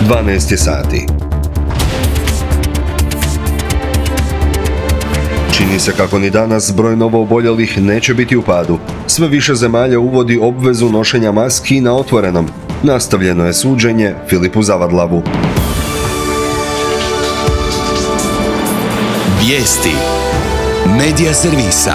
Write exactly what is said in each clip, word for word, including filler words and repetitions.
dvanaest je sati. Čini se kako ni danas broj novooboljelih neće biti u padu. Sve više zemalja uvodi obvezu nošenja maski na otvorenom. Nastavljeno je suđenje Filipu Zavadlavu. Vijesti Medija servisa.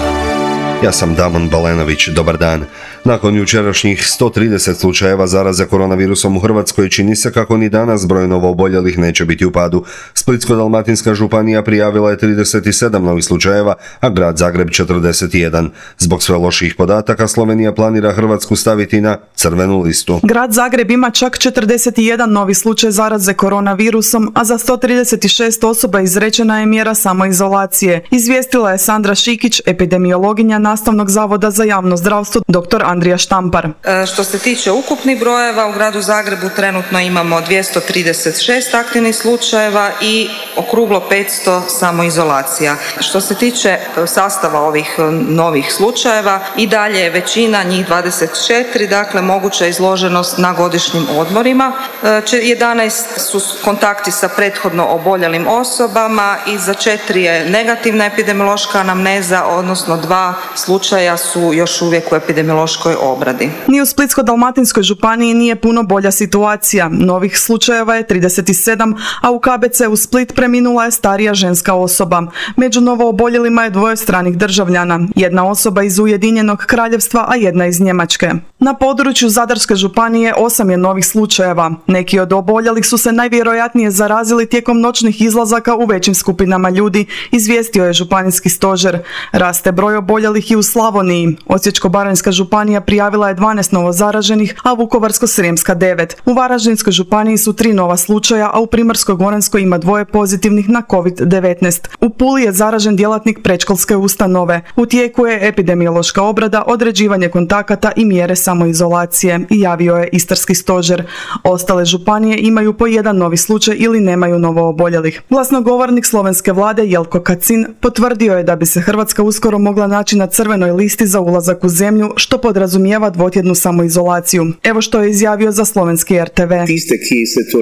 Ja sam Damon Balenović, dobar dan. Nakon jučerašnjih sto trideset slučajeva zaraze koronavirusom u Hrvatskoj, čini se kako ni danas broj novooboljelih neće biti u padu. Splitsko-dalmatinska županija prijavila je trideset sedam novih slučajeva, a grad Zagreb četrdeset jedan. Zbog sve loših podataka, Slovenija planira Hrvatsku staviti na crvenu listu. Grad Zagreb ima čak četrdeset jedan novi slučaj zaraze koronavirusom, a za sto trideset šest osoba izrečena je mjera samoizolacije. Izvijestila je Sandra Šikić, epidemiologinja Nastavnog zavoda za javno zdravstvo, doktor Andrija Štampar. E, što se tiče ukupnih brojeva, u gradu Zagrebu trenutno imamo dvjesto trideset šest aktivnih slučajeva i okruglo petsto samoizolacija. Što se tiče sastava ovih novih slučajeva, i dalje je većina, njih dvadeset četiri, dakle moguća izloženost na godišnjim odmorima. E, jedanaest su kontakti sa prethodno oboljelim osobama i za četiri je negativna epidemiološka anamneza, odnosno dva slučaja su još uvijek u epidemiološkoj obradi. Ni u Splitsko-dalmatinskoj županiji nije puno bolja situacija. Novih slučajeva je trideset sedam, a u K B C u Split preminula je starija ženska osoba. Među novooboljelima je dvoje stranih državljana. Jedna osoba iz Ujedinjenog Kraljevstva, a jedna iz Njemačke. Na području Zadarske županije osam je novih slučajeva. Neki od oboljelih su se najvjerojatnije zarazili tijekom noćnih izlazaka u većim skupinama ljudi, izvijestio je županijski stožer. Raste broj oboljelih i u Slavoniji. Osječko-baranjska županija prijavila je dvanaest novozaraženih, a Vukovarsko-srijemska devet. U Varaždinskoj županiji su tri nova slučaja, a u Primorsko-goranskoj ima dvoje pozitivnih na kovid devetnaest. U Puli je zaražen djelatnik predškolske ustanove. U tijeku je epidemiološka obrada, određivanje kontakata i mjere samoizolacije, javio je istarski stožer. Ostale županije imaju po jedan novi slučaj ili nemaju novooboljelih. Glasnogovornik slovenske vlade Jelko Kacin potvrdio je da bi se Hrvatska uskoro mogla naći na crvenoj listi za ulazak u zemlju, što podrazumijeva dvotjednu samoizolaciju. Evo što je izjavio za slovenski R T V.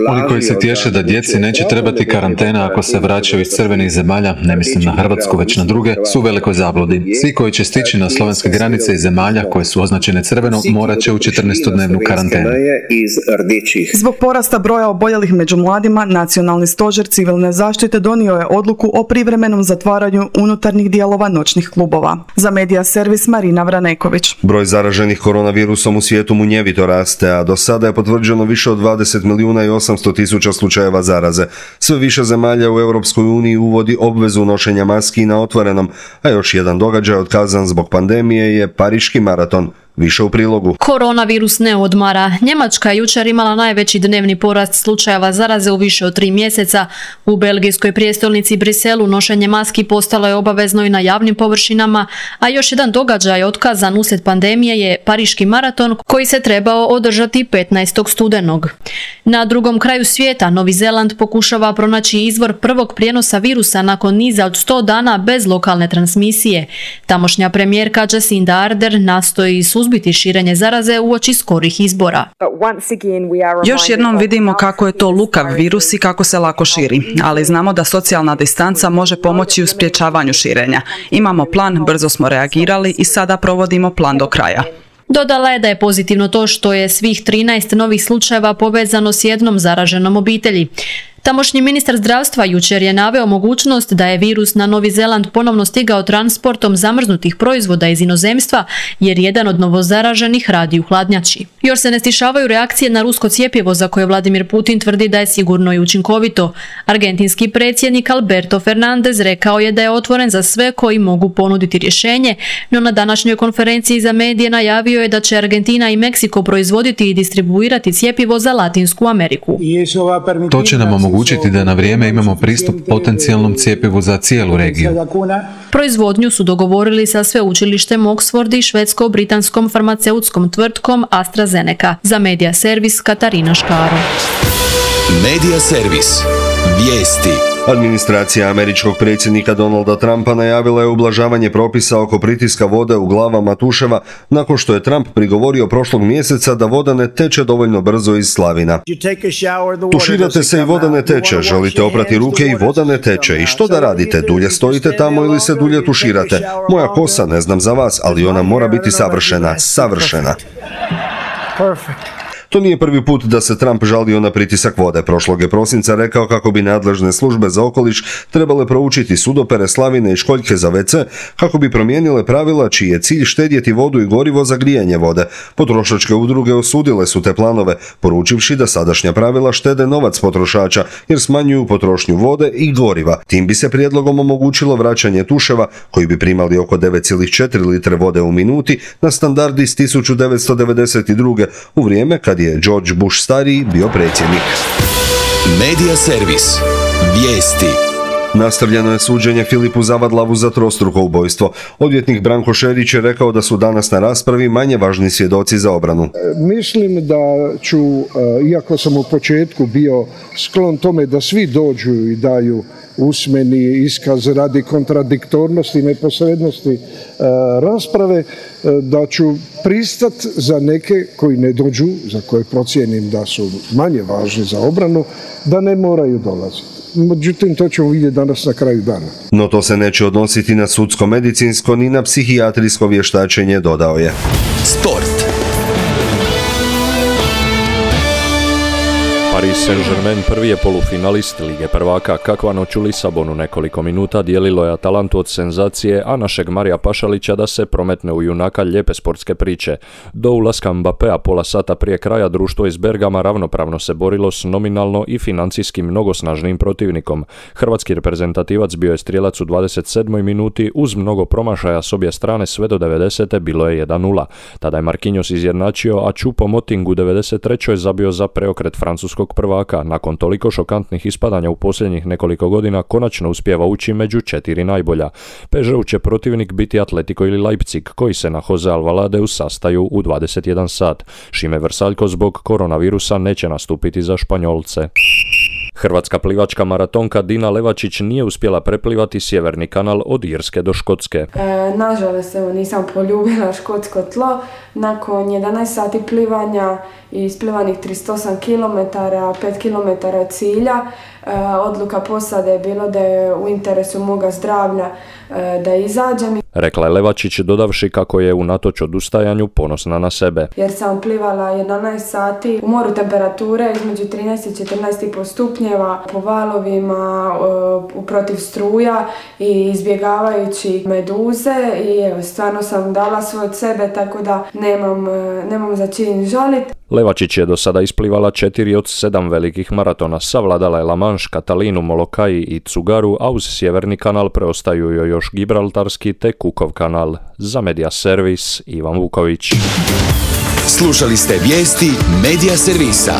Oni koji se tješe da djeci neće trebati karantena ako se vraćaju iz crvenih zemalja, ne mislim na Hrvatsku već na druge, su u velikoj zabludi. Svi koji će stići na slovenske granice iz zemalja koje su označene crveno morat će u četrnaestodnevnu karantenu. Zbog porasta broja oboljelih među mladima, Nacionalni stožer civilne zaštite donio je odluku o privremenom zatvaranju unutarnjih dijelova noćnih klubova. Za Medija servis Marina Vraneković. Broj zaraženih koronavirusom u svijetu munjevito raste, a do sada je potvrđeno više od dvadeset milijuna i osamsto tisuća slučajeva zaraze. Sve više zemalja u Europskoj uniji uvodi obvezu nošenja maski na otvorenom, a još jedan događaj otkazan zbog pandemije je Pariški maraton. Više u prilogu. Koronavirus ne odmara. Njemačka je jučer imala najveći dnevni porast slučajeva zaraze u više od tri mjeseca. U belgijskoj prijestolnici Briselu nošenje maski postalo je obavezno i na javnim površinama, a još jedan događaj otkazan uslijed pandemije je Pariški maraton koji se trebao održati petnaestog studenog. Na drugom kraju svijeta Novi Zeland pokušava pronaći izvor prvog prijenosa virusa nakon niza od sto dana bez lokalne transmisije. Tamošnja premijerka Jacinda Ardern nastoji suzbiti širenje zaraze uoči skorih izbora. Još jednom vidimo kako je to lukav virus i kako se lako širi, ali znamo da socijalna distanca može pomoći u sprječavanju širenja. Imamo plan, brzo smo reagirali i sada provodimo plan do kraja. Dodala je da je pozitivno to što je svih trinaest novih slučajeva povezano s jednom zaraženom obitelji. Tamošnji ministar zdravstva jučer je naveo mogućnost da je virus na Novi Zeland ponovno stigao transportom zamrznutih proizvoda iz inozemstva, jer jedan od novozaraženih radi u hladnjači. Još se ne stišavaju reakcije na rusko cjepivo za koje Vladimir Putin tvrdi da je sigurno i učinkovito. Argentinski predsjednik Alberto Fernandez rekao je da je otvoren za sve koji mogu ponuditi rješenje, no na današnjoj konferenciji za medije najavio je da će Argentina i Meksiko proizvoditi i distribuirati cjepivo za Latinsku Ameriku. To će nam omogućiti da na vrijeme imamo pristup potencijalnom cjepivu za cijelu regiju. Proizvodnju su dogovorili sa sveučilištem Oxford i švedsko-britanskom farmaceutskom tvrtkom AstraZeneca. Za Medija servis Katarina Škaro. Medija servis. Vijesti. Administracija američkog predsjednika Donalda Trumpa najavila je ublažavanje propisa oko pritiska vode u glavama tuševa nakon što je Trump prigovorio prošlog mjeseca da voda ne teče dovoljno brzo iz slavina. Tuširate se i voda ne teče, želite oprati ruke i voda ne teče. I što da radite? Dulje stojite tamo ili se dulje tuširate? Moja kosa, ne znam za vas, ali ona mora biti savršena, savršena. To nije prvi put da se Trump žalio na pritisak vode. Prošlog je prosinca rekao kako bi nadležne službe za okoliš trebale proučiti sudopere, slavine i školjke za ve ce kako bi promijenile pravila čiji je cilj štedjeti vodu i gorivo za grijanje vode. Potrošačke udruge osudile su te planove, poručivši da sadašnja pravila štede novac potrošača jer smanjuju potrošnju vode i goriva. Tim bi se prijedlogom omogućilo vraćanje tuševa koji bi primali oko devet zarez četiri litre vode u minuti na standard iz tisuću devetsto devedeset druge u vrijeme kad je George Bush stariji bio predsjednik. Medija servis. Vijesti. Nastavljeno je suđenje Filipu Zavadlavu za trostruko ubojstvo. Odvjetnik Branko Šerić je rekao da su danas na raspravi manje važni svjedoci za obranu. Mislim da ću, iako sam u početku bio sklon tome da svi dođu i daju usmeni iskaz radi kontradiktornosti i neposrednosti rasprave, da ću pristat za neke koji ne dođu, za koje procijenim da su manje važni za obranu, da ne moraju dolaziti. Međutim, to ćemo vidjeti danas na kraju dana. No to se neće odnositi na sudsko-medicinsko ni na psihijatrijsko vještačenje, dodao je. Sport. Paris Saint-Germain prvi je polufinalist Lige prvaka. Kakva noć u Lisabonu nekoliko minuta dijelilo je Atalantu od senzacije, a našeg Marija Pašalića da se prometne u junaka lijepe sportske priče. Do ulaska Mbappéa pola sata prije kraja društvo iz Bergama ravnopravno se borilo s nominalno i financijski mnogo snažnim protivnikom. Hrvatski reprezentativac bio je strijelac u dvadeset sedmoj minuti uz mnogo promašaja s obje strane sve do devedesete bilo je jedan nula. Tada je Marquinhos izjednačio, a Choupo-Moting u devedeset trećoj zabio za preokret francuskog prvaka. Nakon toliko šokantnih ispadanja u posljednjih nekoliko godina konačno uspijeva ući među četiri najbolja. pe es ge-u će protivnik biti Atletico ili Leipzig, koji se na Jose Alvaladeu sastaju u dvadeset jedan sat. Šime Vrsaljko zbog koronavirusa neće nastupiti za Španjolce. Hrvatska plivačka maratonka Dina Levačić nije uspjela preplivati sjeverni kanal od Irske do Škotske. E, nažalost, evo, nisam poljubila škotsko tlo. Nakon jedanaest sati plivanja i isplivanih trideset osam kilometara, pet kilometara od cilja, e, odluka posade je bilo da je u interesu moga zdravlja e, da izađem. Rekla je Levačić, dodavši kako je unatoč odustajanju ponosna na sebe. Jer sam plivala jedanaest sati u moru temperature između trinaest i četrnaest i pol stupnjeva, po valovima, e, protiv struja i izbjegavajući meduze i evo, stvarno sam dala sve od sebe, tako da nemam, nemam za čin žaliti. Levačić je do sada isplivala četiri od sedam velikih maratona, savladala je La Manche, Katalinu, Molokai i Cugaru, a uz sjeverni kanal preostaju joj još Gibraltarski te Cookov kanal. Za Medija servis Ivan Vuković. Slušali ste vijesti Medija servisa.